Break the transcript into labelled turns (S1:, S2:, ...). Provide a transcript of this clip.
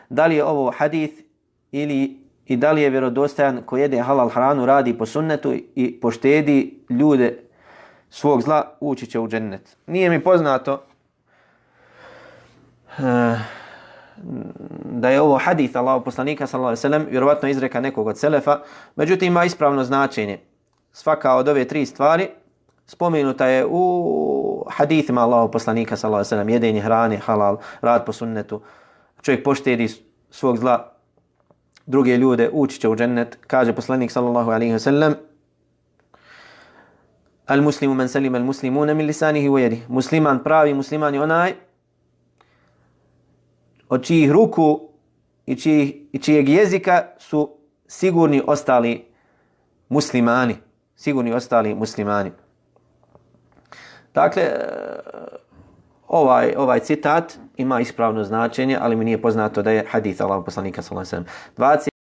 S1: da li je ovo hadith i da li je vjerodostojan ko jede halal hranu, radi po sunnetu i poštedi ljude svog zla, ući će u džennet. Nije mi poznato da je ovo hadith Allahov poslanika sallallahu alejhi ve sellem, vjerovatno izreka nekog od selefa, međutim ima ispravno značenje. Svaka od ove tri stvari spomenuta je u hadithima Allahov poslanika sallallahu alejhi ve sellem: jedenje hrane halal, rad po sunnetu, čovjek poštedi svog zla, druge ljude, ući će u džennet. Kaže poslanik sallallahu alejhi ve sellem: al muslimu man salima al muslimuna min lisanihi wa yadihi. Musliman, pravi musliman je onaj od čijih ruku i čijeg jezika su sigurni ostali muslimani. Sigurni ostali muslimani. Dakle, ovaj citat ima ispravno značenje, ali mi nije poznato da je hadith Allahov poslanika sallallahu alejhi ve sellem.